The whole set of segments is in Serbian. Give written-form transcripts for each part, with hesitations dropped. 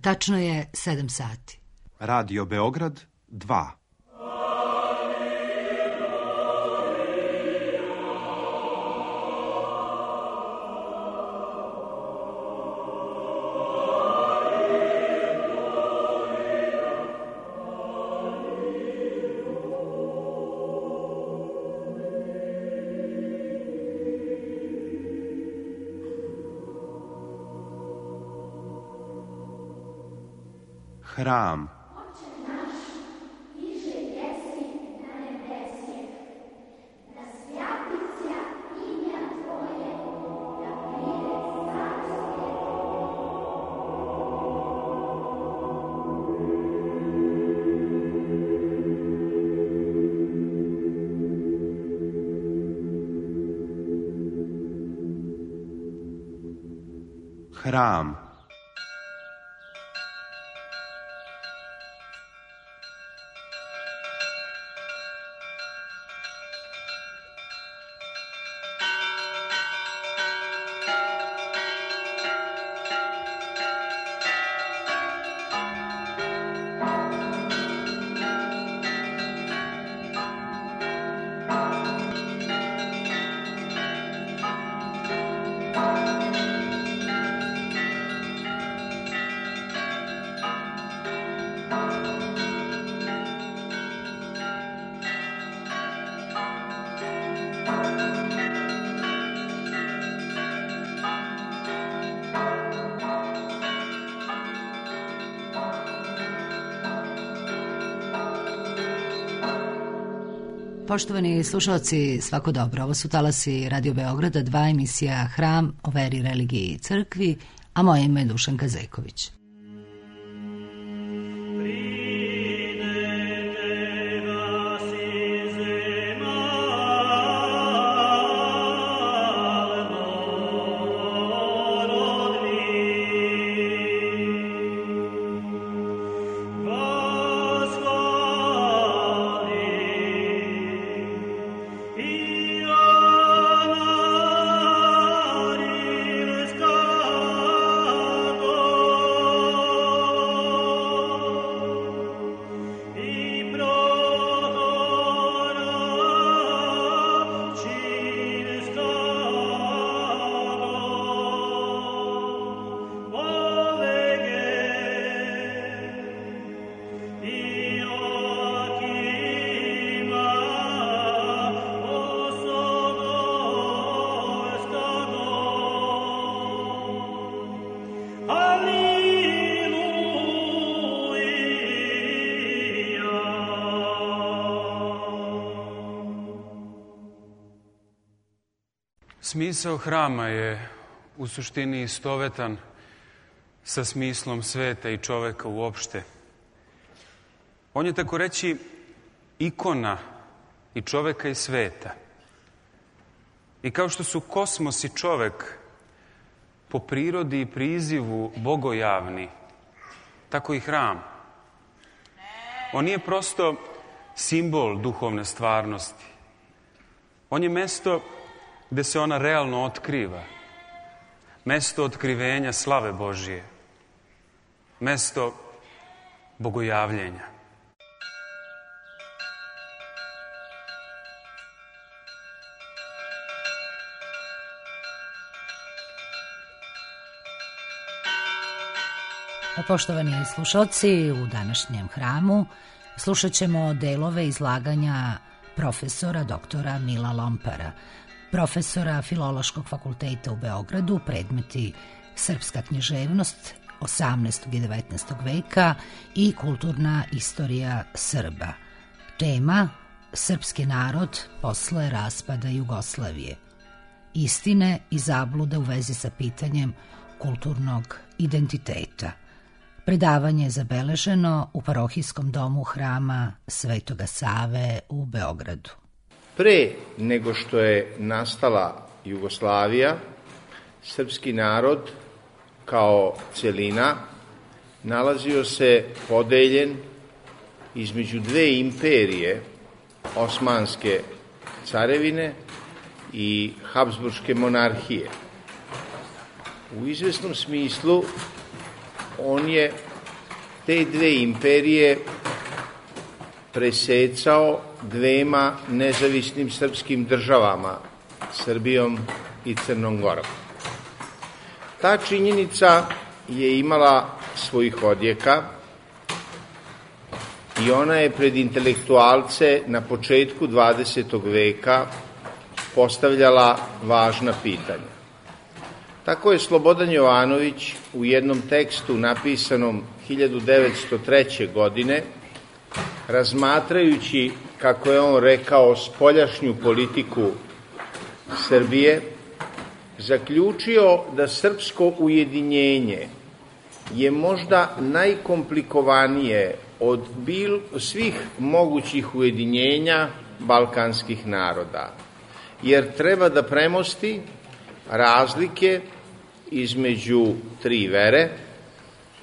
Tačno je 7 sati. Radio Beograd 2. Hram. Hram. Poštovani slušalci, svako dobro. Ovo su talasi Radio Beograda 2, emisija Hram o veri, religiji i crkvi, a moje ime je Dušanka Zeković. Smisao hrama je u suštini istovetan sa smislom sveta i čoveka uopšte. On je tako reći ikona i čoveka i sveta. I kao što su kosmos i čovek po prirodi i prizivu bogojavni, tako i hram. On nije prosto simbol duhovne stvarnosti. On je mesto gde se ona realno otkriva. Mesto otkrivenja slave Božije. Mesto bogojavljenja. Poštovani slušalci, u današnjem hramu slušat ćemo delove izlaganja profesora doktora Mila Lompara, profesora Filološkog fakulteta u Beogradu, predmeti Srpska književnost 18. i 19. veka i kulturna istorija Srba. Tema: Srpski narod posle raspada Jugoslavije. Istine i zablude u vezi sa pitanjem kulturnog identiteta. Predavanje je zabeleženo u parohijskom domu Hrama Svetoga Save u Beogradu. Pre nego što je nastala Jugoslavija, srpski narod kao celina nalazio se podeljen između dve imperije, Osmanske carevine i Habsburške monarhije. U izvesnom smislu on je te dve imperije presecao dvema nezavisnim srpskim državama, Srbijom i Crnom Gorom. Ta činjenica je imala svojih odjeka i ona je pred intelektualce na početku 20. veka postavljala važna pitanja. Tako je Slobodan Jovanović u jednom tekstu napisanom 1903. godine, razmatrajući, kako je on rekao, spoljašnju politiku Srbije, zaključio da srpsko ujedinjenje je možda najkomplikovanije od svih mogućih ujedinjenja balkanskih naroda, jer treba da premosti razlike između tri vere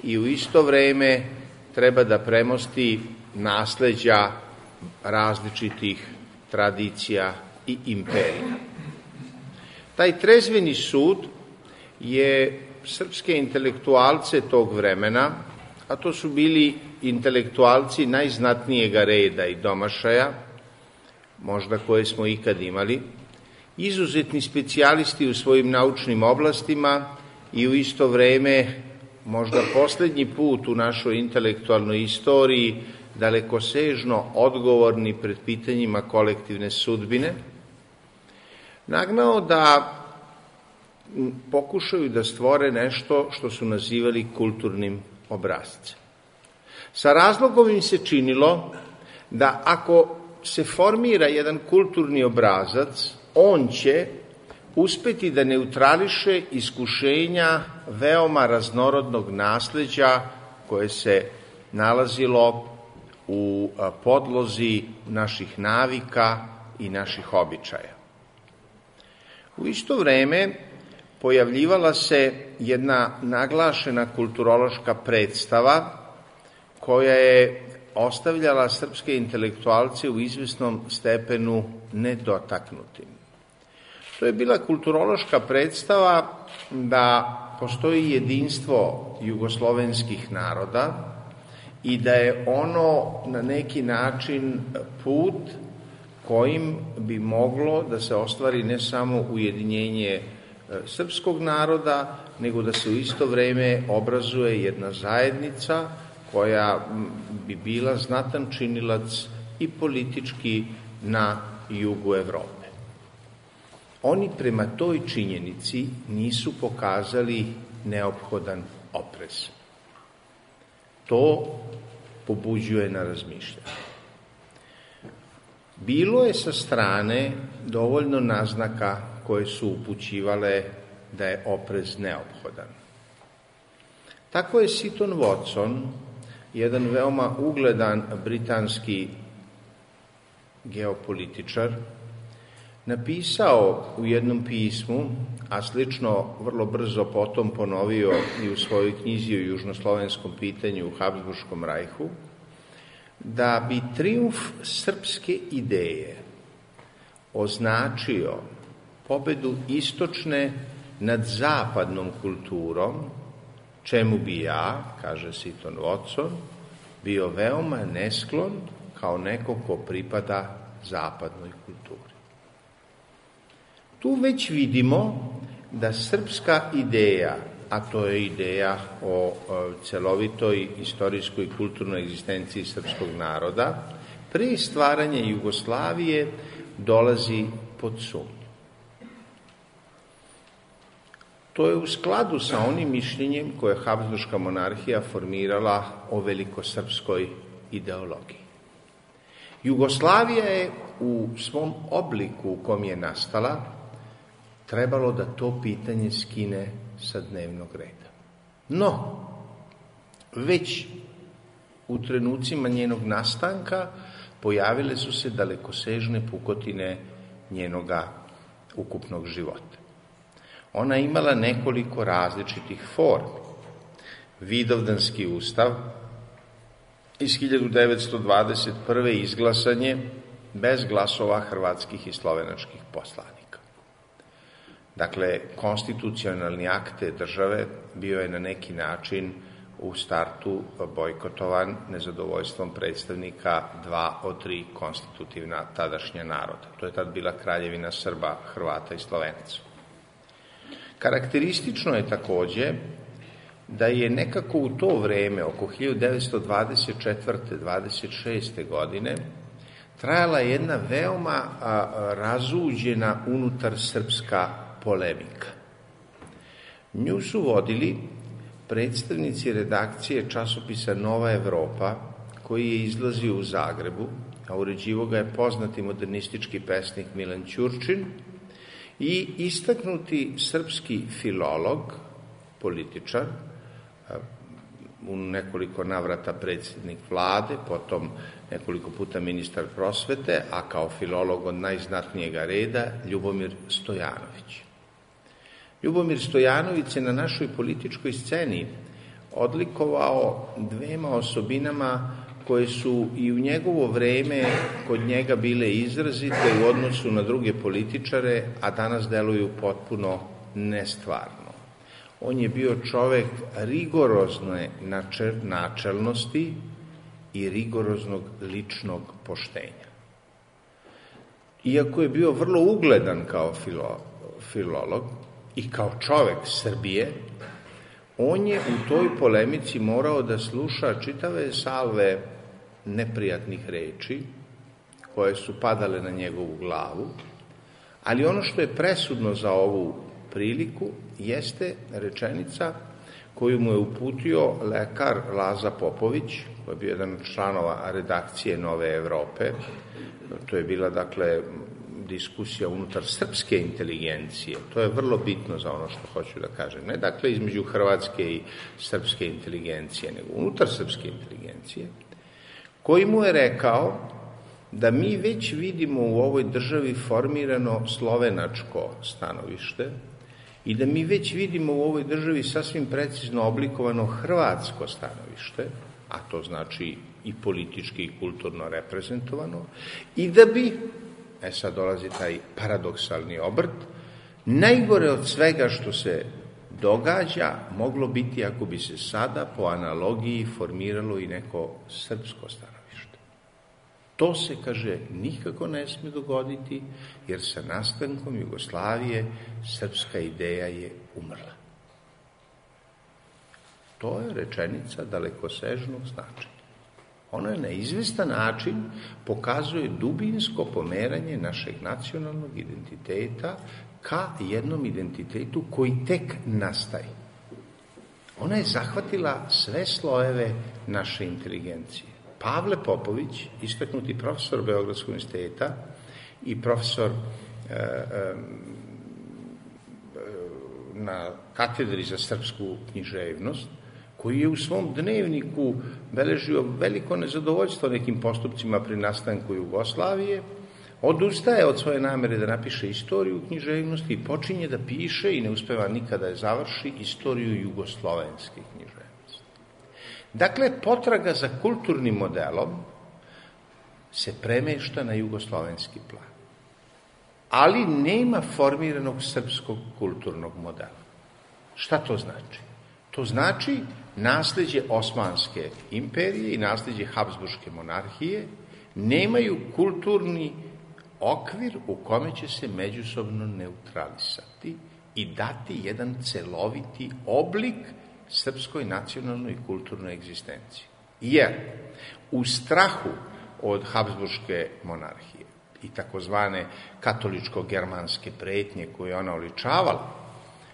i u isto vreme treba da premosti nasleđa različitih tradicija i imperija. Taj trezveni sud je srpske intelektualce tog vremena, a to su bili intelektualci najznatnijega reda i domašaja, možda koje smo ikad imali, izuzetni specijalisti u svojim naučnim oblastima i u isto vreme, možda poslednji put u našoj intelektualnoj istoriji, dalekosežno odgovorni pred pitanjima kolektivne sudbine, nagnao da pokušaju da stvore nešto što su nazivali kulturnim obrascem. Sa razlogom im se činilo da ako se formira jedan kulturni obrazac, on će uspeti da neutrališe iskušenja veoma raznorodnog nasleđa koje se nalazilo u podlozi naših navika i naših običaja. U isto vreme pojavljivala se jedna naglašena kulturološka predstava koja je ostavljala srpske intelektualce u izvesnom stepenu nedotaknutim. To je bila kulturološka predstava da postoji jedinstvo jugoslovenskih naroda i da je ono na neki način put kojim bi moglo da se ostvari ne samo ujedinjenje srpskog naroda, nego da se u isto vreme obrazuje jedna zajednica koja bi bila znatan činilac i politički na jugu Evrope. Oni prema toj činjenici nisu pokazali neophodan oprez. To pobuđuje na razmišljanje. Bilo je sa strane dovoljno naznaka koje su upućivale da je oprez neophodan. Tako je Seton Watson, jedan veoma ugledan britanski geopolitičar, napisao u jednom pismu, a slično vrlo brzo potom ponovio i u svojoj knjizi o južnoslovenskom pitanju u Habsburškom rajhu, da bi trijumf srpske ideje označio pobedu istočne nad zapadnom kulturom, čemu bi ja, kaže Seton Watson, bio veoma nesklon kao neko ko pripada zapadnoj kulturi. Tu već vidimo da srpska ideja, a to je ideja o celovitoj istorijskoj i kulturnoj egzistenciji srpskog naroda, pre stvaranja Jugoslavije dolazi pod sumnju. To je u skladu sa onim mišljenjem koje je Habsburška monarhija formirala o velikosrpskoj ideologiji. Jugoslavija je u svom obliku u kom je nastala trebalo da to pitanje skine sa dnevnog reda. No, već u trenucima njenog nastanka pojavile su se dalekosežne pukotine njenoga ukupnog života. Ona je imala nekoliko različitih formi. Vidovdanski ustav iz 1921. izglasan je bez glasova hrvatskih i slovenačkih poslanika. Dakle, konstitucionalni akt te države bio je na neki način u startu bojkotovan nezadovoljstvom predstavnika 2 od 3 konstitutivna tadašnja naroda. To je tad bila Kraljevina Srba, Hrvata i Slovenaca. Karakteristično je takođe da je nekako u to vreme, oko 1924. 26. godine, trajala jedna veoma razuđena unutar srpska polemika. Nju su vodili predstavnici redakcije časopisa Nova Evropa, koji je izlazio u Zagrebu, a uređivo ga je poznati modernistički pesnik Milan Ćurčin, i istaknuti srpski filolog, političar, u nekoliko navrata predsjednik vlade, potom nekoliko puta ministar prosvete, a kao filolog od najznatnijega reda Ljubomir Stojanović. Ljubomir Stojanović se na našoj političkoj sceni odlikovao 2 osobinama koje su i u njegovo vreme kod njega bile izrazite u odnosu na druge političare, a danas deluju potpuno nestvarno. On je bio čovek rigorozne načelnosti i rigoroznog ličnog poštenja. Iako je bio vrlo ugledan kao filolog i kao čovek Srbije, on je u toj polemici morao da sluša čitave salve neprijatnih reči koje su padale na njegovu glavu, ali ono što je presudno za ovu priliku jeste rečenica koju mu je uputio lekar Laza Popović, koji je bio jedan od članova redakcije Nove Evrope. To je bila, dakle, diskusija unutar srpske inteligencije. To je vrlo bitno za ono što hoću da kažem. Ne, dakle, između hrvatske i srpske inteligencije, nego unutar srpske inteligencije, koji mu je rekao da mi već vidimo u ovoj državi formirano slovenačko stanovište i da mi već vidimo u ovoj državi sasvim precizno oblikovano hrvatsko stanovište, a to znači i politički i kulturno reprezentovano, i da bi, sad dolazi taj paradoksalni obrt, najgore od svega što se događa moglo biti ako bi se sada po analogiji formiralo i neko srpsko stanovište. To se, kaže, nikako ne sme dogoditi, jer sa nastankom Jugoslavije srpska ideja je umrla. To je rečenica dalekosežnog značaja. Ona je na izvestan način pokazuje dubinsko pomeranje našeg nacionalnog identiteta ka jednom identitetu koji tek nastaje. Ona je zahvatila sve slojeve naše inteligencije. Pavle Popović, istaknuti profesor Beogradskog univerziteta i profesor na katedri za srpsku književnost, koji je u svom dnevniku beležio veliko nezadovoljstvo nekim postupcima pri nastanku Jugoslavije, odustaje od svoje namere da napiše istoriju književnosti i počinje da piše, i ne uspeva nikada da završi, istoriju jugoslovenske književnosti. Dakle, potraga za kulturnim modelom se premešta na jugoslovenski plan. Ali nema formiranog srpskog kulturnog modela. Šta to znači? To znači nasleđe Osmanske imperije i nasleđe Habsburške monarhije nemaju kulturni okvir u kome će se međusobno neutralisati i dati jedan celoviti oblik srpskoj nacionalnoj i kulturnoj egzistenciji. Jer u strahu od Habsburške monarhije i takozvane katoličko-germanske pretnje koje ona oličavala,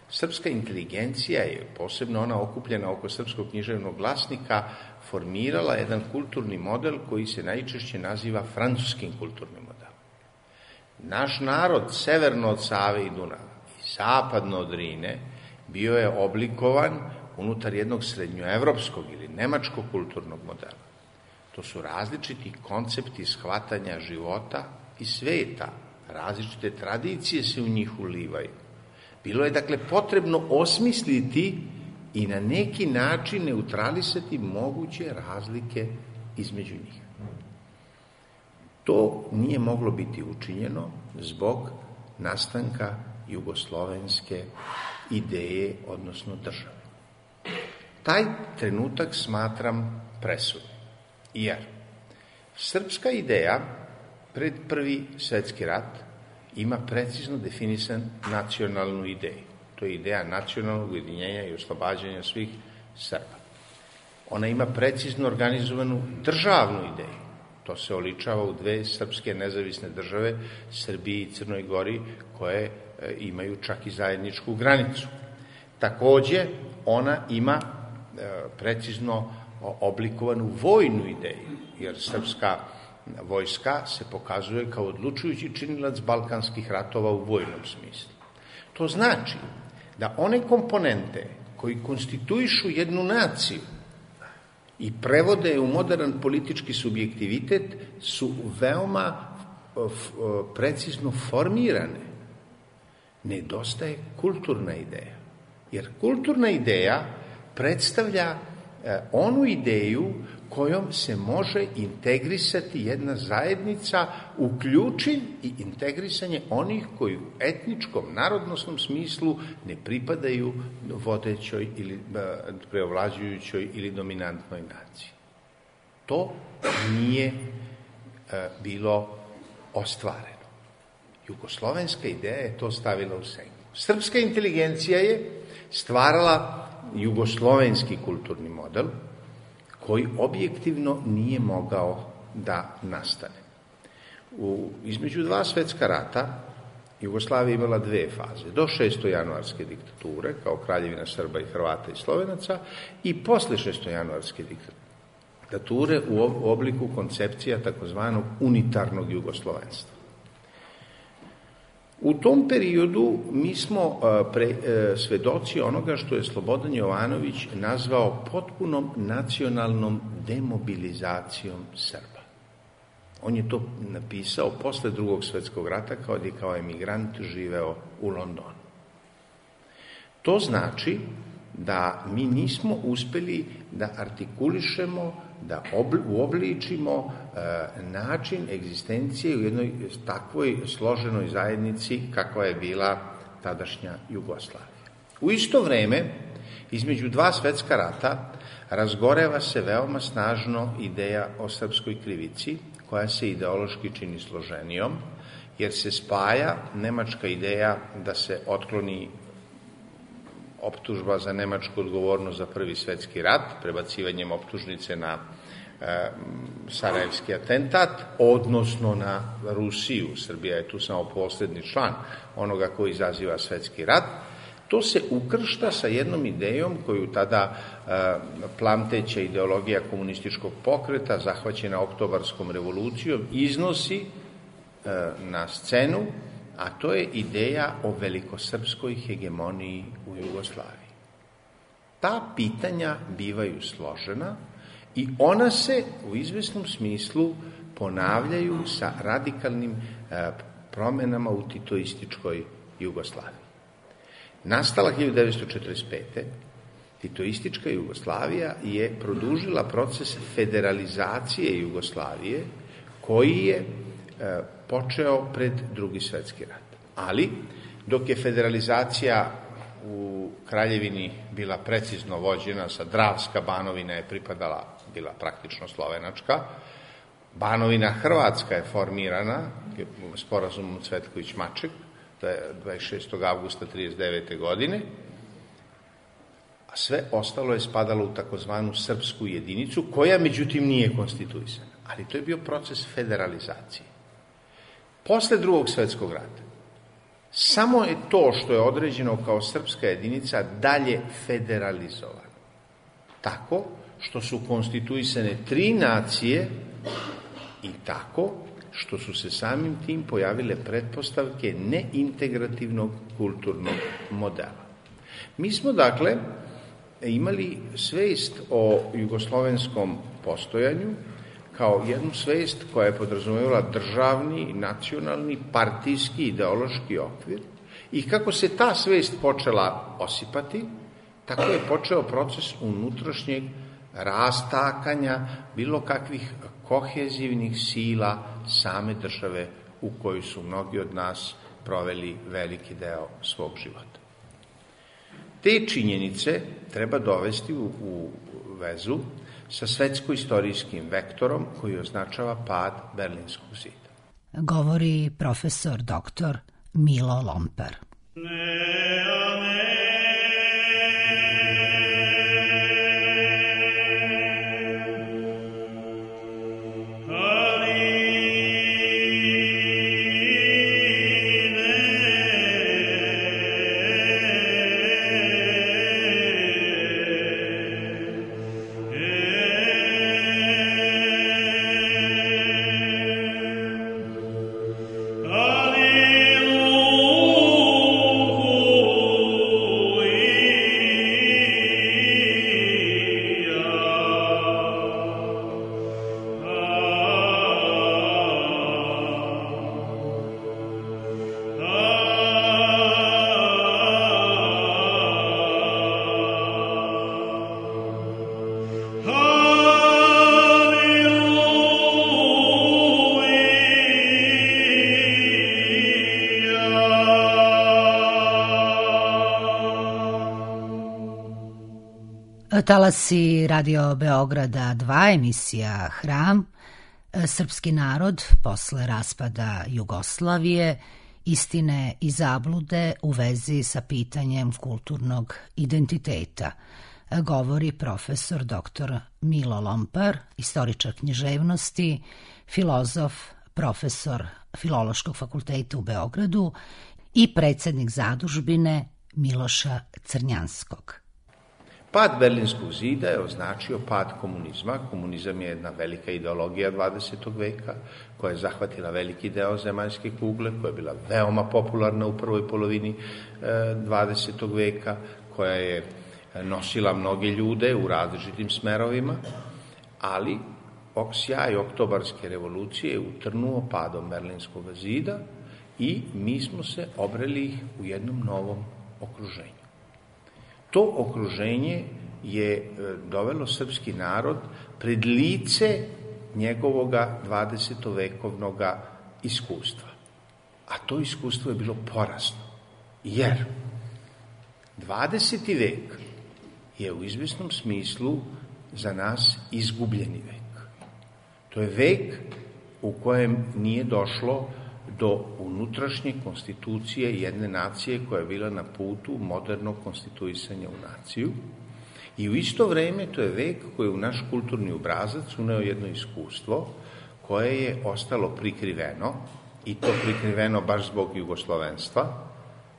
srpska inteligencija je, posebno ona okupljena oko srpskog književnog glasnika, formirala jedan kulturni model koji se najčešće naziva francuskim kulturnim modelom. Naš narod severno od Save i Dunava i zapadno od Drine bio je oblikovan unutar jednog srednjoevropskog ili nemačkog kulturnog modela. To su različiti koncepti shvatanja života i sveta, različite tradicije se u njih ulivaju. Bilo je, dakle, potrebno osmisliti i na neki način neutralisati moguće razlike između njih. To nije moglo biti učinjeno zbog nastanka jugoslovenske ideje, odnosno države. Taj trenutak smatram presudnim, jer srpska ideja pred Prvi svetski rat ima precizno definisan nacionalnu ideju. To je ideja nacionalnog ujedinjenja i oslobađanja svih Srba. Ona ima precizno organizovanu državnu ideju. To se oličava u dve srpske nezavisne države, Srbiji i Crnoj Gori, koje imaju čak i zajedničku granicu. Takođe, ona ima precizno oblikovanu vojnu ideju, jer srpska vojska se pokazuje kao odlučujući činilac balkanskih ratova u vojnom smislu. To znači da one komponente koji konstituišu jednu naciju i prevode u modern politički subjektivitet su veoma precizno formirane. Nedostaje kulturna ideja, jer kulturna ideja predstavlja onu ideju kojom se može integrisati jedna zajednica, uključi i integrisanje onih koji u etničkom, narodnosnom smislu ne pripadaju vodećoj ili preovlađujućoj ili dominantnoj naciji. To nije bilo ostvareno. Jugoslovenska ideja je to stavila u senku. Srpska inteligencija je stvarala jugoslovenski kulturni model koji objektivno nije mogao da nastane. Između dva svetska rata Jugoslavija imala dve faze. Do 6. januarske diktature, kao kraljevina Srba i Hrvata i Slovenaca, i posle 6. januarske diktature u obliku koncepcija takozvanog unitarnog jugoslovenstva. U tom periodu mi smo svedoci onoga što je Slobodan Jovanović nazvao potpunom nacionalnom demobilizacijom Srba. On je to napisao posle Drugog svetskog rata kad je kao emigrant živeo u Londonu. To znači da mi nismo uspeli da artikulišemo, da uobličimo način egzistencije u jednoj takvoj složenoj zajednici kakva je bila tadašnja Jugoslavija. U isto vreme, između dva svetska rata, razgoreva se veoma snažno ideja o srpskoj krivici, koja se ideološki čini složenijom, jer se spaja nemačka ideja da se otkloni optužba za nemačku odgovornost za Prvi svetski rat, prebacivanjem optužnice na sarajevski atentat, odnosno na Rusiju. Srbija je tu samo poslednji član onoga koji izaziva svetski rat. To se ukršta sa jednom idejom koju tada plamteća ideologija komunističkog pokreta, zahvaćena Oktobarskom revolucijom, iznosi na scenu, a to je ideja o velikosrpskoj hegemoniji u Jugoslaviji. Ta pitanja bivaju složena i ona se u izvesnom smislu ponavljaju sa radikalnim promenama u titoističkoj Jugoslaviji. Nastala 1945. Titoistička Jugoslavija je produžila proces federalizacije Jugoslavije koji je počeo pred Drugi svetski rat. Ali, dok je federalizacija u Kraljevini bila precizno vođena, sa Dravska Banovina je bila praktično slovenačka, Banovina Hrvatska je formirana sporazumom Cvetković-Maček 26. avgusta 1939. godine, a sve ostalo je spadalo u takozvanu srpsku jedinicu, koja međutim nije konstituisana. Ali to je bio proces federalizacije. Posle Drugog svetskog rata, samo je to što je određeno kao srpska jedinica dalje federalizovano. Tako što su konstituisane 3 nacije i tako što su se samim tim pojavile pretpostavke neintegrativnog kulturnog modela. Mi smo, dakle, imali svest o jugoslovenskom postojanju kao jednu svest koja je podrazumevala državni, nacionalni, partijski, ideološki okvir i kako se ta svest počela osipati, tako je počeo proces unutrašnjeg rastakanja bilo kakvih kohezivnih sila same države u kojoj su mnogi od nas proveli veliki deo svog života. te činjenice treba dovesti u vezu sa svetsko-istorijskim vektorom koji označava pad Berlinskog zida. Govori profesor dr. Milo Lomper. Talasi Radio Beograda 2, emisija Hram, srpski narod posle raspada Jugoslavije, istine i zablude u vezi sa pitanjem kulturnog identiteta. Govori profesor dr. Milo Lomper, istoričar književnosti, filozof, profesor Filološkog fakulteta u Beogradu i predsednik zadužbine Miloša Crnjanskog. Pad Berlinskog zida je označio pad komunizma. Komunizam je jedna velika ideologija 20. veka koja je zahvatila veliki deo zemaljske kugle, koja je bila veoma popularna u prvoj polovini 20. veka, koja je nosila mnoge ljude u različitim smerovima, ali sjaj oktobarske revolucije je utrnuo padom Berlinskog zida i mi smo se obreli u jednom novom okruženju. To okruženje je dovelo srpski narod pred lice njegovoga 20-vekovnog iskustva. A to iskustvo je bilo porazno, jer 20. vek je u izvesnom smislu za nas izgubljeni vek. To je vek u kojem nije došlo do unutrašnje konstitucije jedne nacije koja je bila na putu modernog konstituisanja u naciju i u isto vreme to je vek koji je u naš kulturni obrazac uneo jedno iskustvo koje je ostalo prikriveno i to prikriveno baš zbog jugoslovenstva,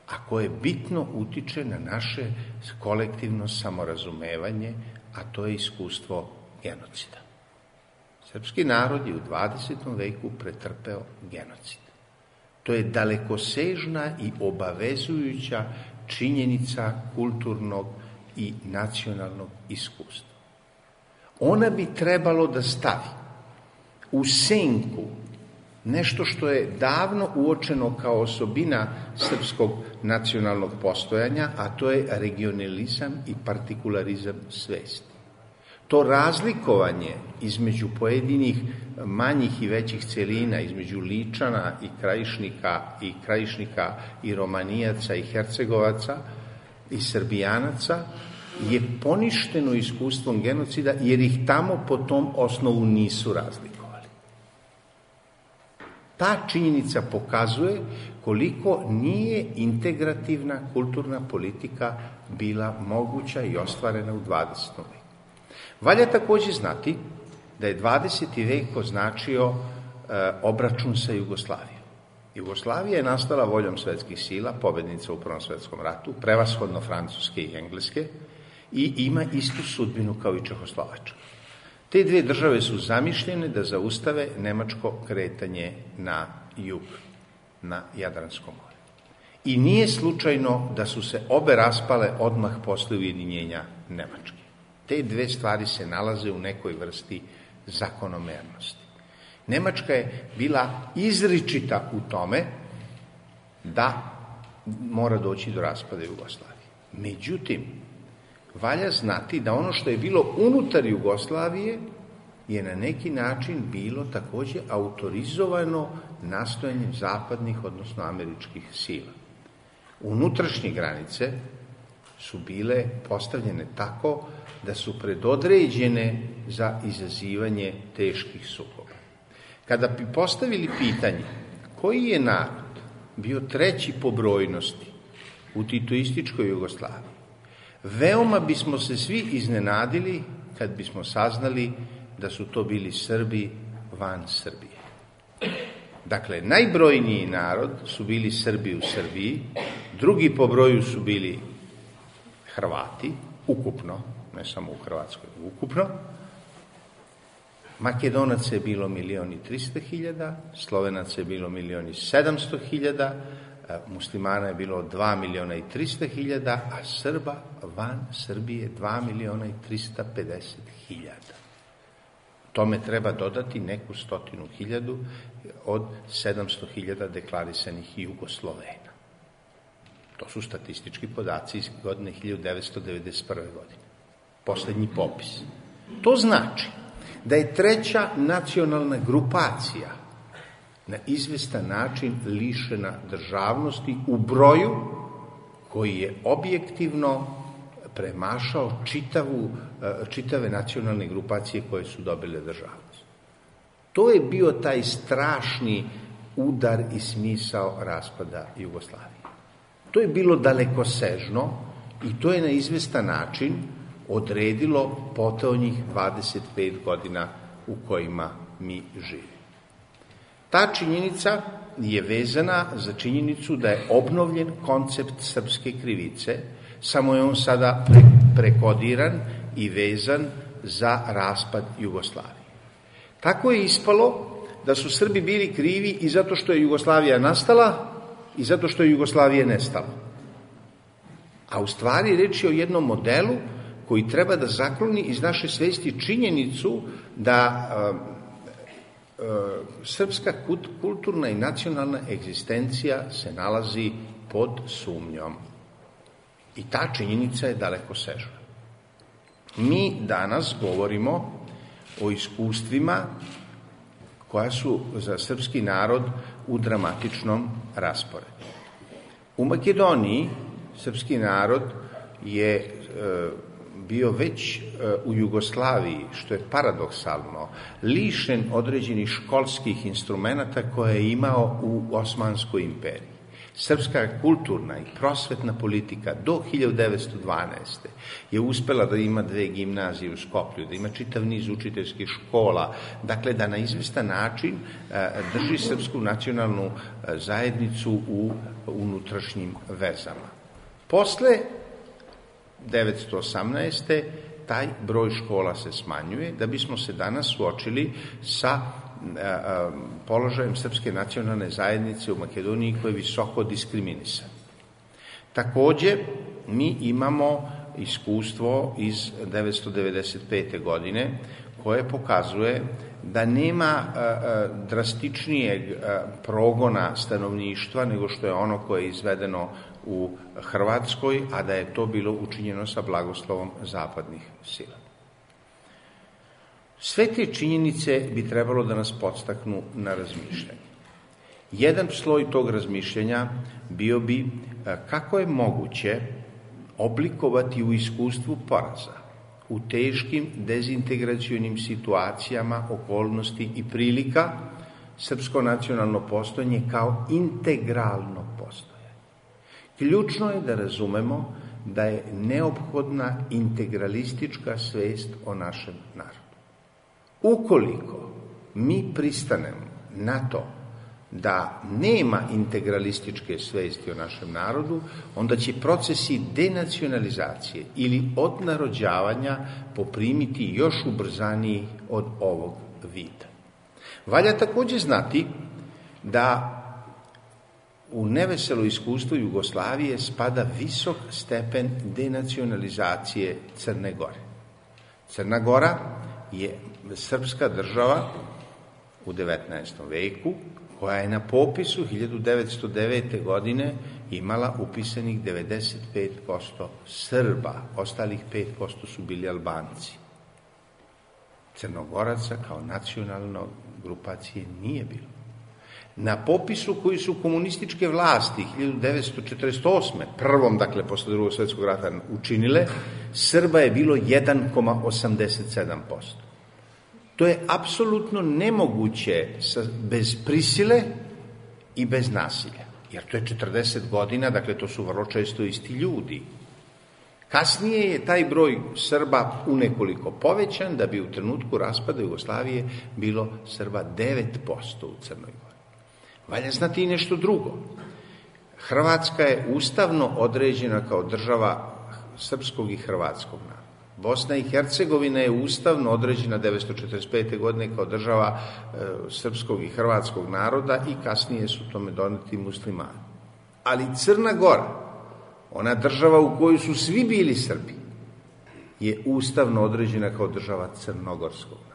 a koje bitno utiče na naše kolektivno samorazumevanje, a to je iskustvo genocida. Srpski narod je u 20. veku pretrpeo genocid. To je dalekosežna i obavezujuća činjenica kulturnog i nacionalnog iskustva. Ona bi trebalo da stavi u senku nešto što je davno uočeno kao osobina srpskog nacionalnog postojanja, a to je regionalizam i partikularizam svesti. To razlikovanje između pojedinih manjih i većih celina, između Ličana i Krajišnika i Romanijaca i Hercegovaca i Srbijanaca je poništeno iskustvom genocida jer ih tamo po tom osnovu nisu razlikovali. Ta činjenica pokazuje koliko nije integrativna kulturna politika bila moguća i ostvarena u 20. veku. Valja takođe znati da je 20. vek označio obračun sa Jugoslavijom. Jugoslavija je nastala voljom svetskih sila, pobednica u Prvom svetskom ratu, prevashodno Francuske i Engleske, i ima istu sudbinu kao i Čehoslovačka. Te dve države su zamišljene da zaustave nemačko kretanje na jug, na Jadransko more. I nije slučajno da su se obe raspale odmah posle ujedinjenja Nemačke. Te dve stvari se nalaze u nekoj vrsti zakonomernosti. Nemačka je bila izričita u tome da mora doći do raspada Jugoslavije. Međutim, valja znati da ono što je bilo unutar Jugoslavije je na neki način bilo takođe autorizovano nastojanjem zapadnih, odnosno američkih sila. Unutrašnje granice su bile postavljene tako da su predodređene za izazivanje teških sukoba. Kada bi postavili pitanje koji je narod bio treći po brojnosti u titoističkoj Jugoslaviji, veoma bismo se svi iznenadili kad bismo saznali da su to bili Srbi van Srbije. Dakle, najbrojniji narod su bili Srbi u Srbiji, drugi po broju su bili Hrvati, ukupno, ne samo u Hrvatskoj, ukupno. Makedonaca je bilo 1.300.000, Slovenaca je bilo 1.700.000, muslimana je bilo 2.300.000, a Srba van Srbije 2.350.000. Tome treba dodati neku 100.000 od 700.000 deklarisanih Jugoslovena. To su statistički podaci iz godine 1991. godine. Poslednji popis. To znači da je treća nacionalna grupacija na izvestan način lišena državnosti u broju koji je objektivno premašao čitave nacionalne grupacije koje su dobile državnost. To je bio taj strašni udar i smisao raspada Jugoslavije. To je bilo dalekosežno i to je na izvestan način odredilo potonjih 25 godina u kojima mi živimo. Ta činjenica je vezana za činjenicu da je obnovljen koncept srpske krivice, samo je on sada prekodiran i vezan za raspad Jugoslavije. Tako je ispalo da su Srbi bili krivi i zato što je Jugoslavija nastala i zato što je Jugoslavija nestala. A u stvari reč je o jednom modelu koji treba da zakloni iz naše svesti činjenicu da srpska kulturna i nacionalna egzistencija se nalazi pod sumnjom. I ta činjenica je dalekosežna. Mi danas govorimo o iskustvima koja su za srpski narod u dramatičnom rasporedu. U Makedoniji srpski narod je bio već u Jugoslaviji, što je paradoksalno, lišen određenih školskih instrumenata koje je imao u Osmanskoj imperiji. Srpska kulturna i prosvetna politika do 1912. je uspela da ima 2 gimnazije u Skoplju, da ima čitav niz učiteljskih škola, dakle da na izvestan način drži srpsku nacionalnu zajednicu u unutrašnjim vezama. Posle 1918. taj broj škola se smanjuje, da bismo se danas suočili sa položajem srpske nacionalne zajednice u Makedoniji koji je visoko diskriminisan. Takođe, mi imamo iskustvo iz 1995. godine koje pokazuje da nema drastičnijeg progona stanovništva nego što je ono koje je izvedeno u Hrvatskoj, a da je to bilo učinjeno sa blagoslovom zapadnih sila. Sve te činjenice bi trebalo da nas podstaknu na razmišljanje. Jedan sloj tog razmišljanja bio bi kako je moguće oblikovati u iskustvu poraza, u teškim dezintegracionim situacijama, okolnosti i prilika, srpsko nacionalno postojanje kao integralno postojanje. Ključno je da razumemo da je neophodna integralistička svest o našem narodu. Ukoliko mi pristanemo na to da nema integralističke svesti o našem narodu, onda će procesi denacionalizacije ili odnarođavanja poprimiti još ubrzaniji od ovog vida. Valja takođe znati da u neveselo iskustvo Jugoslavije spada visok stepen denacionalizacije Crne Gore. Crna Gora je srpska država u 19. veku koja je na popisu 1909. godine imala upisanih 95% Srba, ostalih 5% su bili Albanci. Crnogoraca kao nacionalno grupacije nije bilo. Na popisu koji su komunističke vlasti 1948. prvom, dakle, posle drugog svjetskog rata učinile, Srba je bilo 1,87%. To je apsolutno nemoguće bez prisile i bez nasilja, jer to je 40 godina, dakle, to su vrlo često isti ljudi. Kasnije je taj broj Srba unekoliko povećan, da bi u trenutku raspada Jugoslavije bilo Srba 9% u Crnoj Gori. Valja znati i nešto drugo. Hrvatska je ustavno određena kao država srpskog i hrvatskog naroda. Bosna i Hercegovina je ustavno određena 1945. godine kao država srpskog i hrvatskog naroda i kasnije su tome doneti muslimani. Ali Crna Gora, ona država u kojoj su svi bili Srbi, je ustavno određena kao država crnogorskog naroda.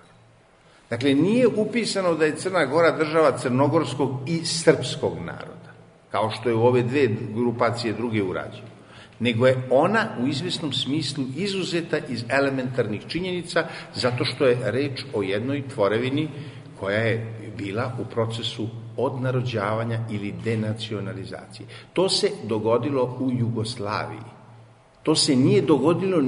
Dakle, nije upisano da je Crna Gora država crnogorskog i srpskog naroda, kao što je u ove dve grupacije druge urađene, nego je ona u izvesnom smislu izuzeta iz elementarnih činjenica, zato što je reč o jednoj tvorevini koja je bila u procesu odnarođavanja ili denacionalizacije. To se dogodilo u Jugoslaviji. To se nije dogodilo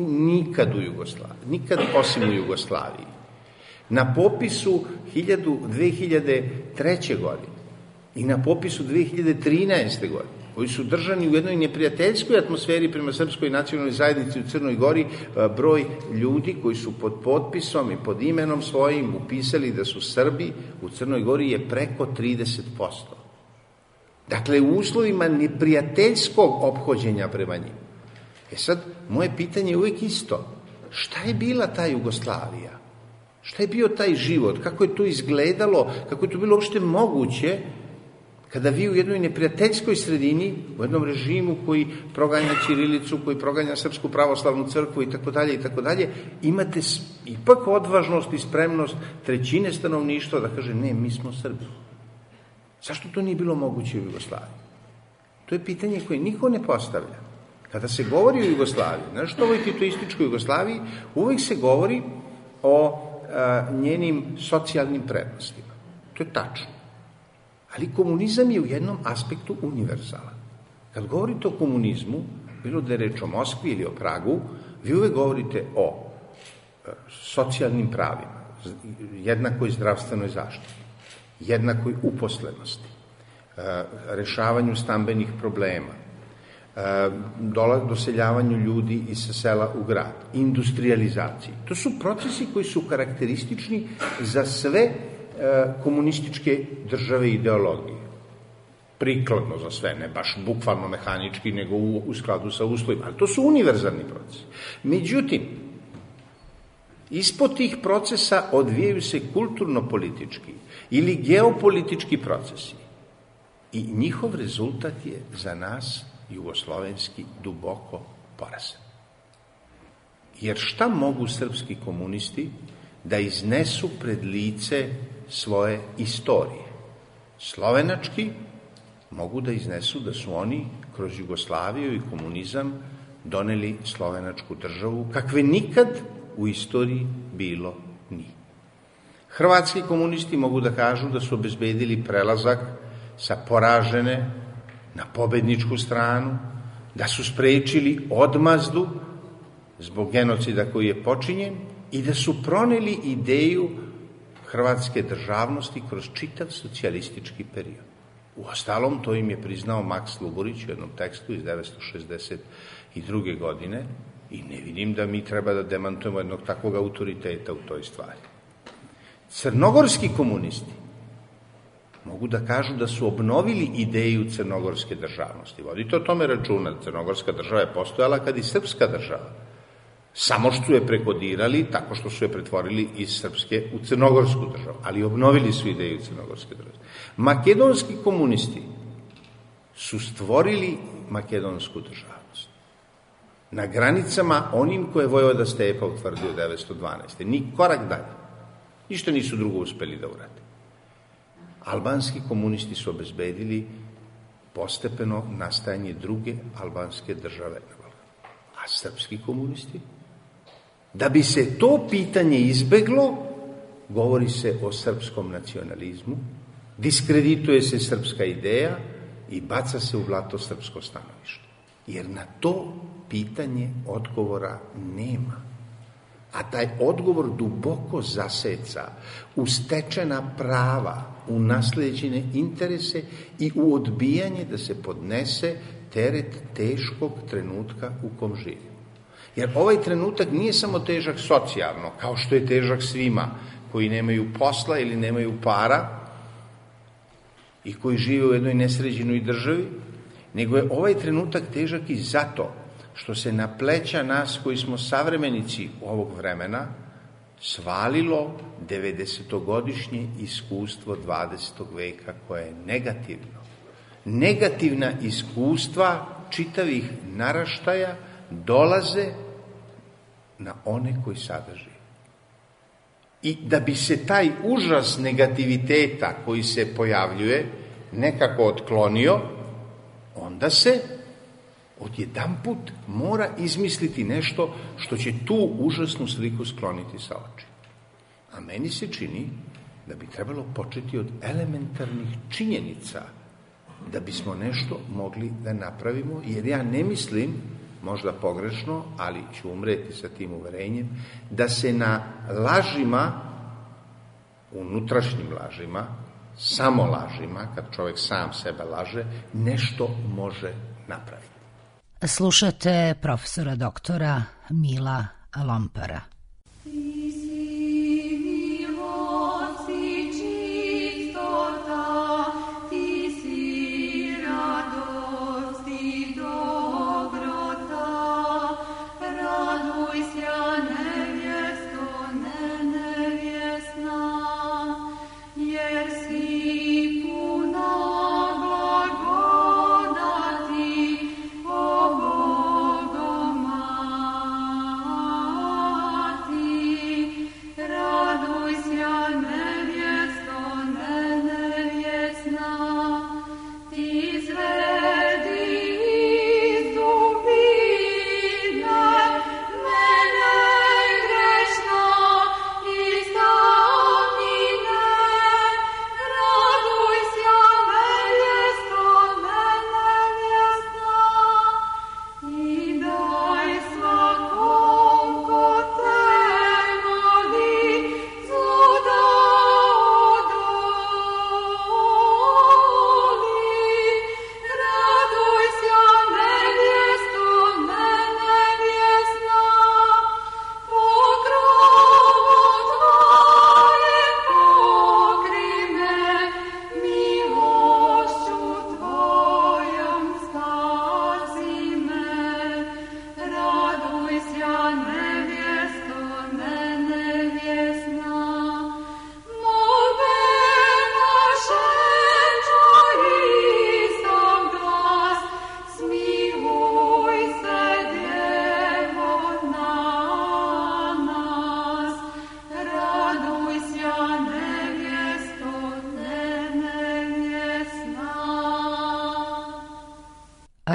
nikad u Jugoslaviji, nikad osim u Jugoslaviji. Na popisu 2003. godine i na popisu 2013. godine, koji su držani u jednoj neprijateljskoj atmosferi prema srpskoj nacionalnoj zajednici u Crnoj Gori, broj ljudi koji su pod potpisom i pod imenom svojim upisali da su Srbi u Crnoj Gori je preko 30%. Dakle, u uslovima neprijateljskog ophođenja prema njima. Sad, moje pitanje je uvijek isto. Šta je bila ta Jugoslavija? Šta je bio taj život? Kako je to izgledalo? Kako je to bilo uopšte moguće kada vi u jednoj neprijateljskoj sredini, u jednom režimu koji proganja ćirilicu, koji proganja Srpsku pravoslavnu crkvu i tako dalje, imate ipak odvažnost i spremnost trećine stanovništva da kaže ne, mi smo Srbi. Zašto to nije bilo moguće u Jugoslaviji? To je pitanje koje niko ne postavlja. Kada se govori o Jugoslaviji, znaš što ovoj titoističkoj Jugoslaviji, uvijek se govori o njenim socijalnim prednostima. To je tačno. Ali komunizam je u jednom aspektu univerzalan. Kad govorite o komunizmu, bilo da je reč o Moskvi ili o Pragu, vi uvek govorite o socijalnim pravima, jednakoj zdravstvenoj zaštiti, jednakoj uposlenosti, rešavanju stambenih problema, doseljavanju ljudi iz sela u grad, industrializaciji. To su procesi koji su karakteristični za sve komunističke države i ideologije. Prikladno za sve, ne baš bukvalno mehanički, nego u skladu sa uslovima. Ali to su univerzalni procesi. Međutim, ispod tih procesa odvijaju se kulturno-politički ili geopolitički procesi. I njihov rezultat je za nas jugoslovenski duboko porazan. Jer šta mogu srpski komunisti da iznesu pred lice svoje istorije? Slovenački mogu da iznesu da su oni kroz Jugoslaviju i komunizam doneli slovenačku državu kakve nikad u istoriji bilo nije. Hrvatski komunisti mogu da kažu da su obezbedili prelazak sa poražene na pobedničku stranu, da su sprečili odmazdu zbog genocida koji je počinjen i da su proneli ideju hrvatske državnosti kroz čitav socijalistički period. Uostalom, to im je priznao Maks Luburić u jednom tekstu iz 1962. godine i ne vidim da mi treba da demantujemo jednog takvog autoriteta u toj stvari. Crnogorski komunisti mogu da kažu da su obnovili ideju crnogorske državnosti. Vodite o tome računa, crnogorska država je postojala kad i srpska država. Samo što su je prekodirali tako što su je pretvorili iz srpske u crnogorsku državu, ali obnovili su ideju crnogorske države. Makedonski komunisti su stvorili makedonsku državnost. Na granicama onim koje je Vojvoda Stepa utvrdio 1912. Ni korak dalje. Ništa nisu drugo uspeli da urade. Albanski komunisti su obezbedili postepeno nastajanje druge albanske države. A srpski komunisti? Da bi se to pitanje izbeglo, govori se o srpskom nacionalizmu, diskredituje se srpska ideja i baca se u blato srpsko stanovište. Jer na to pitanje odgovora nema. A taj odgovor duboko zaseca u stečena prava, u naslijeđene interese i u odbijanje da se podnese teret teškog trenutka u kom živimo. Jer ovaj trenutak nije samo težak socijalno, kao što je težak svima koji nemaju posla ili nemaju para i koji žive u jednoj nesređenoj državi, nego je ovaj trenutak težak i zato što se na pleća nas koji smo savremenici ovog vremena svalilo 90-godišnje iskustvo 20. veka koje je negativno. Negativna iskustva čitavih naraštaja dolaze na one koji sada žive. I da bi se taj užas negativiteta koji se pojavljuje nekako otklonio, onda se odjedanput mora izmisliti nešto što će tu užasnu sliku skloniti sa oči. A meni se čini da bi trebalo početi od elementarnih činjenica da bismo nešto mogli da napravimo, jer ja ne mislim, možda pogrešno, ali ću umreti sa tim uverenjem, da se na lažima, unutrašnjim lažima, samo lažima, kad čovjek sam sebe laže, nešto može napraviti. Slušate profesora doktora Mila Lompara.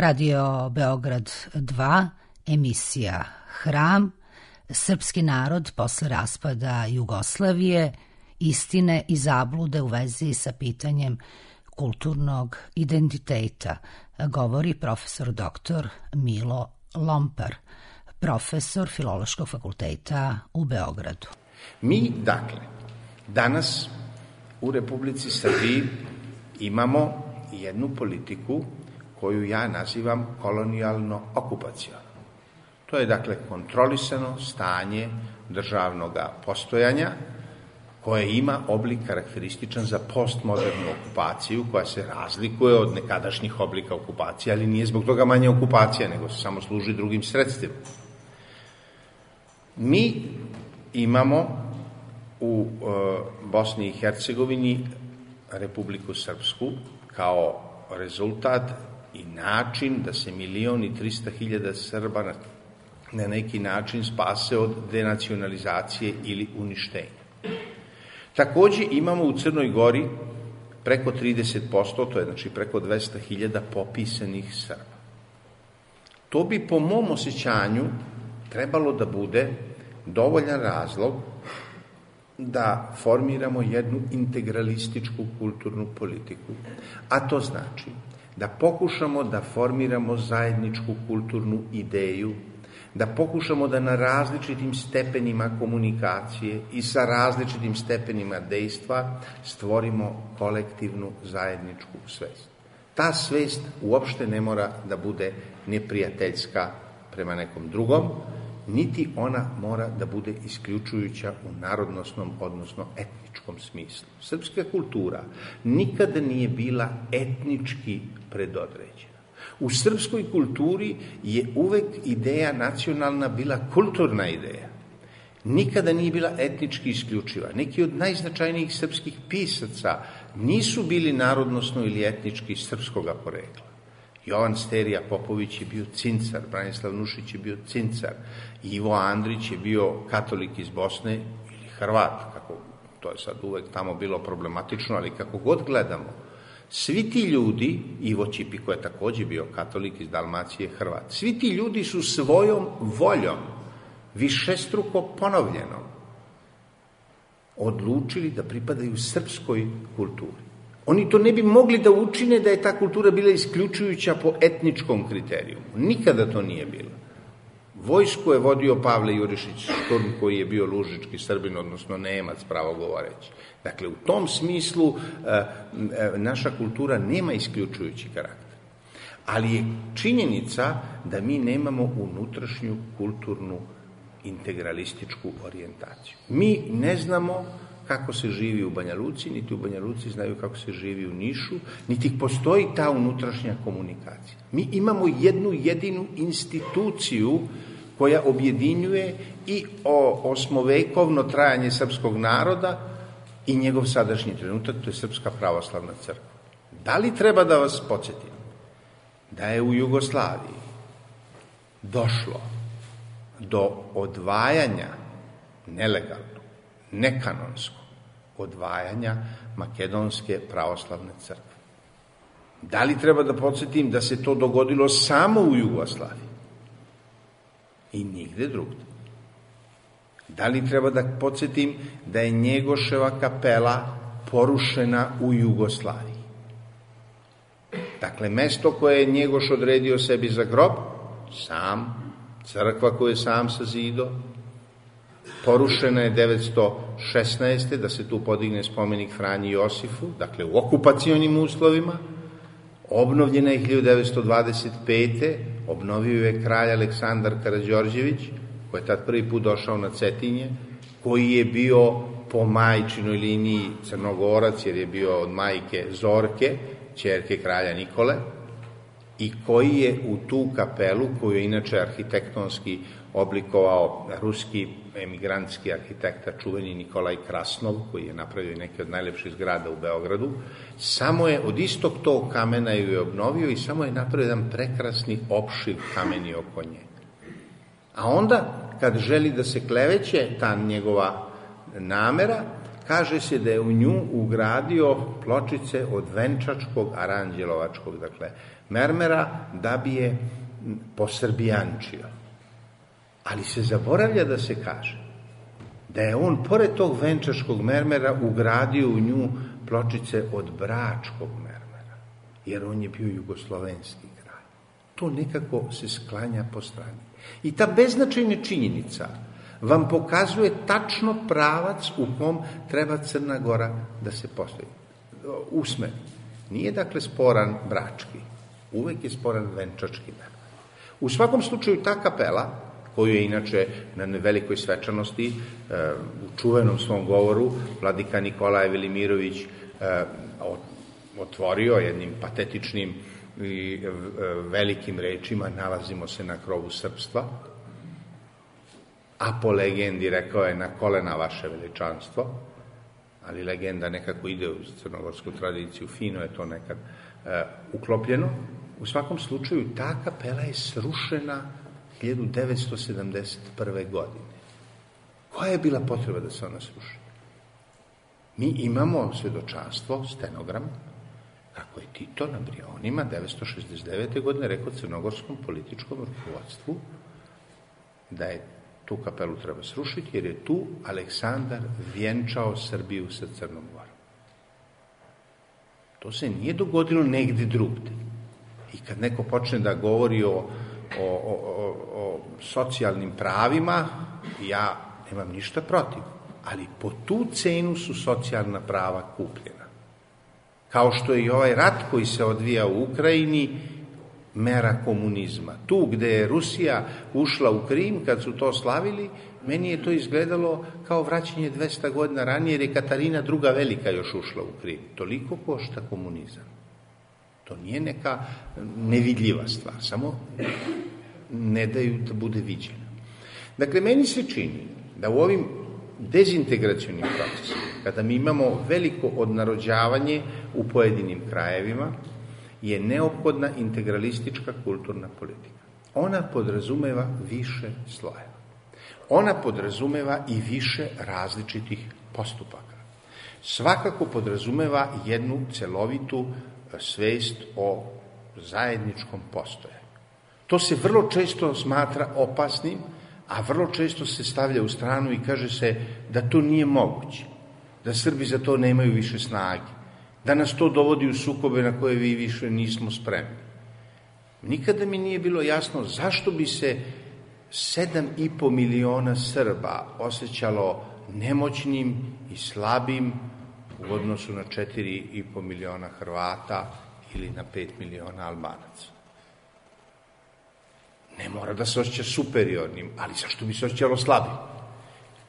Radio Beograd 2, emisija Hram, srpski narod posle raspada Jugoslavije, istine i zablude u vezi sa pitanjem kulturnog identiteta, govori profesor doktor Milo Lompar, profesor Filološkog fakulteta u Beogradu. Mi, dakle, danas u Republici Srbiji imamo jednu politiku koju ja nazivam kolonijalno-okupacijonom. To je, dakle, kontrolisano stanje državnog postojanja koje ima oblik karakterističan za postmodernu okupaciju koja se razlikuje od nekadašnjih oblika okupacije, ali nije zbog toga manje okupacija, nego se samo služi drugim sredstvima. Mi imamo u Bosni i Hercegovini Republiku Srpsku kao rezultat i način da se 1.300.000 Srba na neki način spase od denacionalizacije ili uništenja. Takođe imamo u Crnoj Gori preko 30%, to je znači preko 200.000 popisanih Srba. To bi po mom osjećanju trebalo da bude dovoljan razlog da formiramo jednu integralističku kulturnu politiku, a to znači da pokušamo da formiramo zajedničku kulturnu ideju, da pokušamo da na različitim stepenima komunikacije i sa različitim stepenima dejstva stvorimo kolektivnu zajedničku svest. Ta svest uopšte ne mora da bude neprijateljska prema nekom drugom, niti ona mora da bude isključujuća u narodnosnom, odnosno etničkom smislu. Srpska kultura nikada nije bila etnički predodređena. U srpskoj kulturi je uvek ideja nacionalna bila kulturna ideja. Nikada nije bila etnički isključiva. Neki od najznačajnijih srpskih pisaca nisu bili narodnosno ili etnički srpskoga porekla. Jovan Sterija Popović je bio Cincar, Branislav Nušić je bio Cincar, Ivo Andrić je bio katolik iz Bosne ili Hrvat, kako to je sad uvek tamo bilo problematično, ali kako god gledamo, svi ti ljudi, Ivo Ćipiko je takođe bio katolik iz Dalmacije, Hrvat, svi ti ljudi su svojom voljom, višestruko ponovljenom, odlučili da pripadaju srpskoj kulturi. Oni to ne bi mogli da učine da je ta kultura bila isključujuća po etničkom kriterijumu. Nikada to nije bilo. Vojsku je vodio Pavle Jurišić Šturm, koji je bio lužički Srbin, odnosno Nemac, pravo govoreći. Dakle, u tom smislu naša kultura nema isključujući karakter. Ali je činjenica da mi nemamo unutrašnju kulturnu integralističku orijentaciju. Mi ne znamo kako se živi u Banja Luci, niti u Banja Luci znaju kako se živi u Nišu, niti postoji ta unutrašnja komunikacija. Mi imamo jednu jedinu instituciju koja objedinjuje i osmovekovno trajanje srpskog naroda i njegov sadašnji trenutak, to je Srpska pravoslavna crkva. Da li treba da vas podsjetim da je u Jugoslaviji došlo do odvajanja nelegalno, nekanonsko odvajanja Makedonske pravoslavne crkve? Da li treba da podsjetim da se to dogodilo samo u Jugoslaviji i nigde drugde? Da li treba da podsjetim da je Njegoševa kapela porušena u Jugoslaviji? Dakle, mesto koje je Njegoš odredio sebi za grob, sam, crkva koju je sam sazido, porušena je 916. da se tu podigne spomenik Franji Josifu, dakle u okupacionim uslovima, obnovljena je 1925. Obnovio je kralj Aleksandar Karađorđević, koji je tad prvi put došao na Cetinje, koji je bio po majčinoj liniji Crnogorac, jer je bio od majke Zorke, ćerke kralja Nikole, i koji je u tu kapelu, koju je inače arhitektonski oblikovao ruski emigrantski arhitekta, čuveni Nikolaj Krasnov, koji je napravio neke od najlepših zgrada u Beogradu, samo je od istog tog kamena ju je obnovio i samo je napravio jedan prekrasni opšiv kameni oko nje. A onda, kad želi da se kleveće ta njegova namera, kaže se da je u nju ugradio pločice od venčačkog aranđelovačkog, dakle, mermera, da bi je posrbijančio. Ali se zaboravlja da se kaže da je on, pored tog venčačkog mermera, ugradio u nju pločice od bračkog mermera, jer on je bio jugoslovenski kralj. To nekako se sklanja po strani. I ta beznačajna činjenica vam pokazuje tačno pravac u kom treba Crna Gora da se postavi. Usmeri. Nije dakle sporan brački, uvek je sporan venčački mermer. U svakom slučaju ta kapela, koju je inače na velikoj svečanosti u čuvenom svom govoru vladika Nikolaj Velimirović otvorio jednim patetičnim i velikim rečima: nalazimo se na krovu srpstva, a po legendi rekao je: na kolena vaše veličanstvo, ali legenda nekako ide u crnogorsku tradiciju, fino je to nekad uklopljeno. U svakom slučaju ta kapela je srušena 1971. godine. Koja je bila potreba da se ona sruši? Mi imamo svedočanstvo, stenogram, kako je Tito na Brionima 1969. godine rekao crnogorskom političkom rukovodstvu da je Tu kapelu treba srušiti jer je tu Aleksandar vjenčao Srbiju sa Crnom Gorom. To se nije dogodilo negdje drugdje. I kad neko počne da govori o socijalnim pravima, ja nemam ništa protiv. Ali po tu cenu su socijalna prava kupljena. Kao što je i ovaj rat koji se odvija u Ukrajini mera komunizma. Tu gde je Rusija ušla u Krim, kad su to slavili, meni je to izgledalo kao vraćanje 200 godina ranije, jer je Katarina II. Velika još ušla u Krim. Toliko košta komunizam. To nije neka nevidljiva stvar, samo ne daju da bude viđena. Dakle, meni se čini da u ovim dezintegracionim procesima, kada mi imamo veliko odnarođavanje u pojedinim krajevima, je neophodna integralistička kulturna politika. Ona podrazumeva više slojeva. Ona podrazumeva i više različitih postupaka. Svakako podrazumeva jednu celovitu svest o zajedničkom postojanju. To se vrlo često smatra opasnim, a vrlo često se stavlja u stranu i kaže se da to nije moguće, da Srbi za to nemaju više snage, da nas to dovodi u sukobe na koje vi više nismo spremni. Nikada mi nije bilo jasno zašto bi se 7,5 miliona Srba osjećalo nemoćnim i slabim u odnosu na 4,5 miliona Hrvata ili na 5 miliona Albanaca. Ne mora da se osjeća superiornim, ali zašto bi se osjećalo slabim?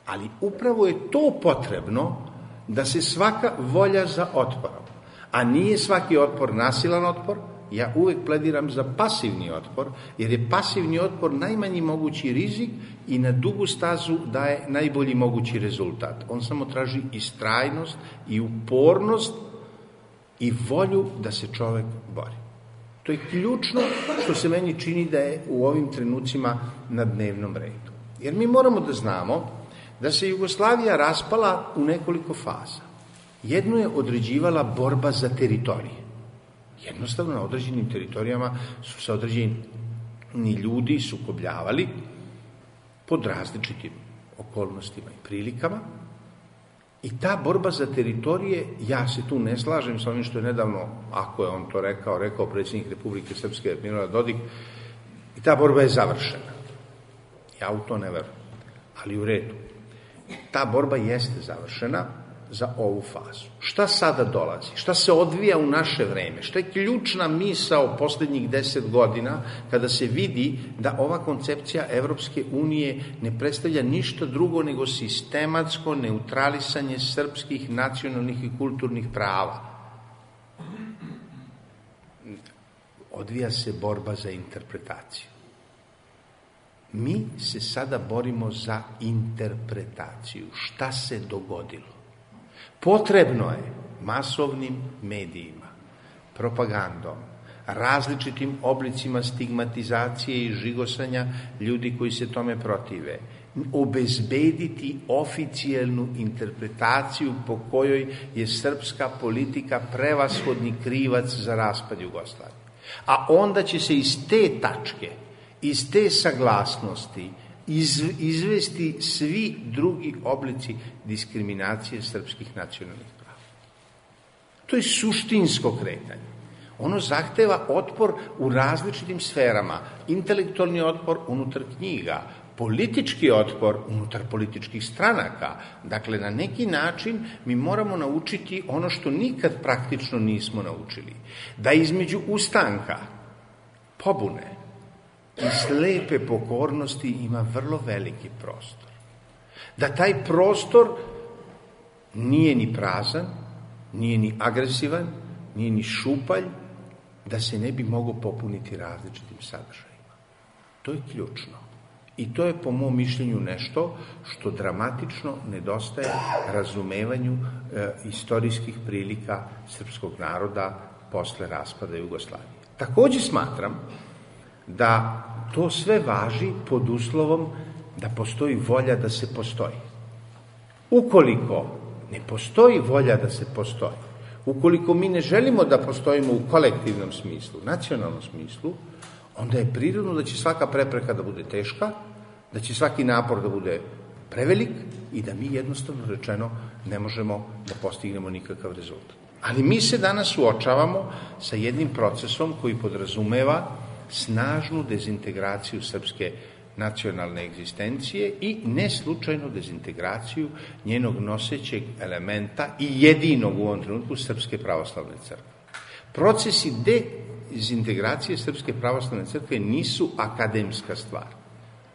Ali upravo je to potrebno da se svaka volja za otporom, a nije svaki otpor nasilan otpor, ja uvek plediram za pasivni otpor, jer je pasivni otpor najmanji mogući rizik i na dugu stazu daje najbolji mogući rezultat. On samo traži istrajnost i upornost i volju da se čovek bori. To je ključno što se meni čini da je u ovim trenucima na dnevnom redu. Jer mi moramo da znamo da se Jugoslavija raspala u nekoliko faza. Jedno je određivala borba za teritorije. Jednostavno na određenim teritorijama su se određeni ljudi sukobljavali pod različitim okolnostima i prilikama. I ta borba za teritorije, ja se tu ne slažem sa onim što je nedavno, ako je on to rekao predsjednik Republike Srpske Milorad Dodik, i ta borba je završena. Ja u to ne verujem, ali u redu. Ta borba jeste završena za ovu fazu. Šta sada dolazi? Šta se odvija u naše vreme? Šta je ključna misao posljednjih 10 godina kada se vidi da ova koncepcija Evropske unije ne predstavlja ništa drugo nego sistematsko neutralisanje srpskih nacionalnih i kulturnih prava? Odvija se borba za interpretaciju. Mi se sada borimo za interpretaciju. Šta se dogodilo? Potrebno je masovnim medijima, propagandom, različitim oblicima stigmatizacije i žigosanja ljudi koji se tome protive, obezbediti oficijelnu interpretaciju po kojoj je srpska politika prevashodni krivac za raspad Jugoslavije. A onda će se iz te tačke, iz te saglasnosti izvesti svi drugi oblici diskriminacije srpskih nacionalnih prava. To je suštinsko kretanje. Ono zahteva otpor u različitim sferama. Intelektualni otpor unutar knjiga, politički otpor unutar političkih stranaka. Dakle, na neki način mi moramo naučiti ono što nikad praktično nismo naučili. Da između ustanka, pobune i slepe pokornosti ima vrlo veliki prostor. Da taj prostor nije ni prazan, nije ni agresivan, nije ni šupalj, da se ne bi mogao popuniti različitim sadržajima. To je ključno. I to je po mom mišljenju nešto što dramatično nedostaje razumevanju istorijskih prilika srpskog naroda posle raspada Jugoslavije. Također smatram da to sve važi pod uslovom da postoji volja da se postoji. Ukoliko ne postoji volja da se postoji, ukoliko mi ne želimo da postojimo u kolektivnom smislu, nacionalnom smislu, onda je prirodno da će svaka prepreka da bude teška, da će svaki napor da bude prevelik i da mi jednostavno rečeno ne možemo da postignemo nikakav rezultat. Ali mi se danas suočavamo sa jednim procesom koji podrazumeva snažnu dezintegraciju srpske nacionalne egzistencije i ne slučajnu dezintegraciju njenog nosećeg elementa i jedinog u ovom trenutku Srpske pravoslavne crkve. Procesi dezintegracije Srpske pravoslavne crkve nisu akademska stvar.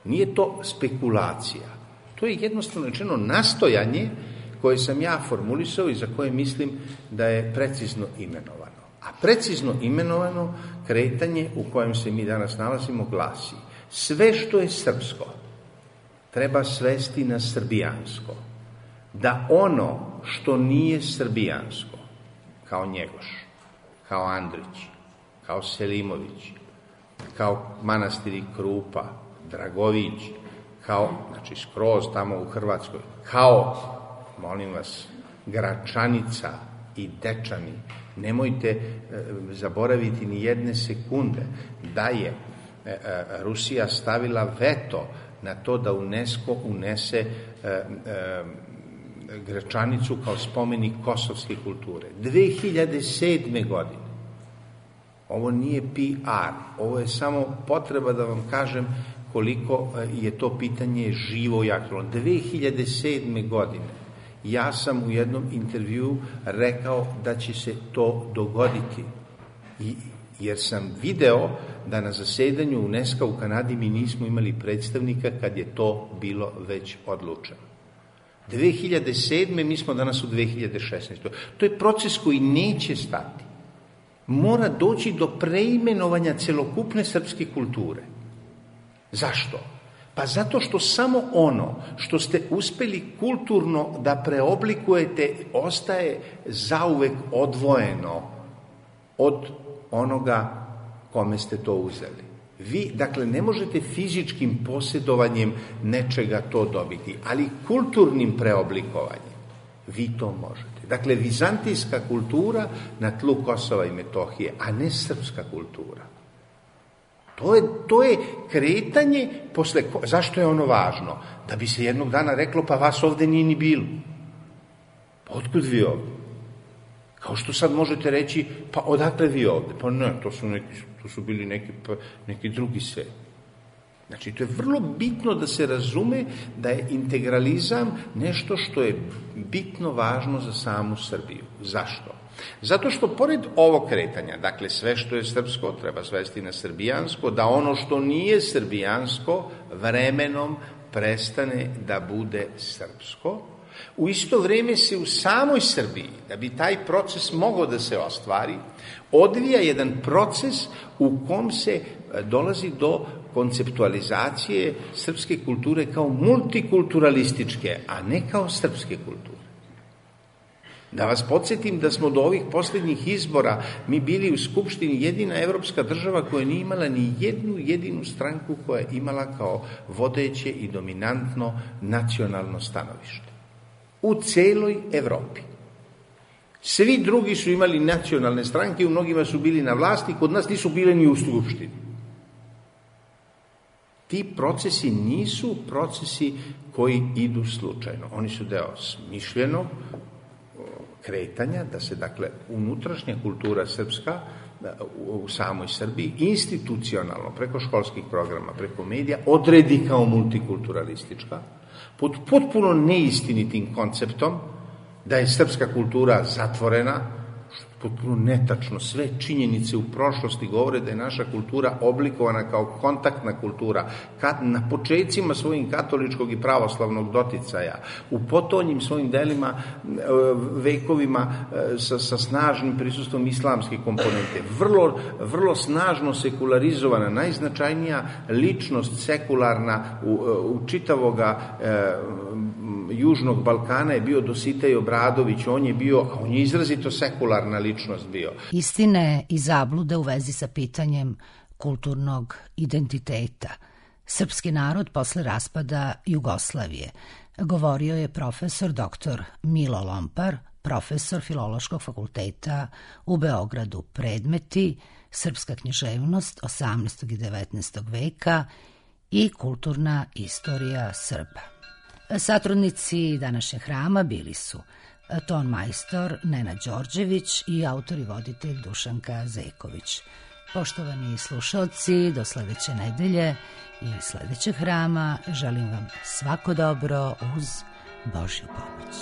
Nije to spekulacija. To je jednostavno rečeno nastojanje koje sam ja formulisao i za koje mislim da je precizno imenovano. A precizno imenovano kretanje u kojem se mi danas nalazimo glasi: sve što je srpsko treba svesti na srbijansko, da ono što nije srbijansko, kao Njegoš, kao Andrić, kao Selimović, kao manastiri Krupa, Dragović, kao, znači skroz tamo u Hrvatskoj, kao, molim vas, Gračanica i Dečani, nemojte zaboraviti ni jedne sekunde da je Rusija stavila veto na to da UNESCO unese Gračanicu kao spomenik kosovske kulture. 2007. godine. Ovo nije PR, ovo je samo potreba da vam kažem koliko je to pitanje živo i aktualno. 2007. godine ja sam u jednom intervjuu rekao da će se to dogoditi, jer sam video da na zasedanju UNESCO u Kanadi mi nismo imali predstavnika kad je to bilo već odlučeno. 2007. mi smo danas u 2016. To je proces koji neće stati. Mora doći do preimenovanja celokupne srpske kulture. Zašto? Pa zato što samo ono što ste uspeli kulturno da preoblikujete ostaje zauvek odvojeno od onoga kome ste to uzeli. Vi, dakle, ne možete fizičkim posjedovanjem nečega to dobiti, ali kulturnim preoblikovanjem vi to možete. Dakle, vizantijska kultura na tlu Kosova i Metohije, a ne srpska kultura. To je kretanje posle... Zašto je ono važno? Da bi se jednog dana reklo, pa vas ovde nije ni bilo. Pa otkud vi ovde? Kao što sad možete reći, pa odakle vi ovde? Pa ne, to su bili neki drugi svet. Znači, to je vrlo bitno da se razume da je integralizam nešto što je bitno važno za samu Srbiju. Zašto? Zato što pored ovog kretanja, dakle sve što je srpsko treba svesti na srbijansko, da ono što nije srbijansko vremenom prestane da bude srpsko, u isto vrijeme se u samoj Srbiji, da bi taj proces mogao da se ostvari, odvija jedan proces u kom se dolazi do konceptualizacije srpske kulture kao multikulturalističke, a ne kao srpske kulture. Da vas podsjetim da smo do ovih posljednjih izbora mi bili u Skupštini jedina evropska država koja nije imala ni jednu jedinu stranku koja je imala kao vodeće i dominantno nacionalno stanovište. U celoj Evropi. Svi drugi su imali nacionalne stranke, u mnogima su bili na vlasti, kod nas nisu bile ni u Skupštini. Ti procesi nisu procesi koji idu slučajno. Oni su deo smišljenog kretanja, da se, dakle, unutrašnja kultura srpska u samoj Srbiji institucionalno, preko školskih programa, preko medija, odredi kao multikulturalistička, pod potpuno neistinitim konceptom da je srpska kultura zatvorena, potpuno netačno. Sve činjenice u prošlosti govore da je naša kultura oblikovana kao kontaktna kultura, na počecima svojim katoličkog i pravoslavnog doticaja, u potonjim svojim delima, vekovima sa snažnim prisustvom islamske komponente, vrlo snažno sekularizovana, najznačajnija ličnost sekularna u čitavoga Južnog Balkana je bio Dositej Obradović, on je izrazito sekularna ličnost bio. Istine i zablude u vezi sa pitanjem kulturnog identiteta. Srpski narod posle raspada Jugoslavije, govorio je profesor dr. Milo Lompar, profesor Filološkog fakulteta u Beogradu. Predmeti: srpska književnost 18. i 19. veka i kulturna istorija Srba. Satrudnici današnjeg hrama bili su ton majstor Nenad Đorđević i autor i voditelj Dušanka Zejković. Poštovani slušalci, do sledeće nedelje i sledećeg hrama želim vam svako dobro uz Božju pomoć.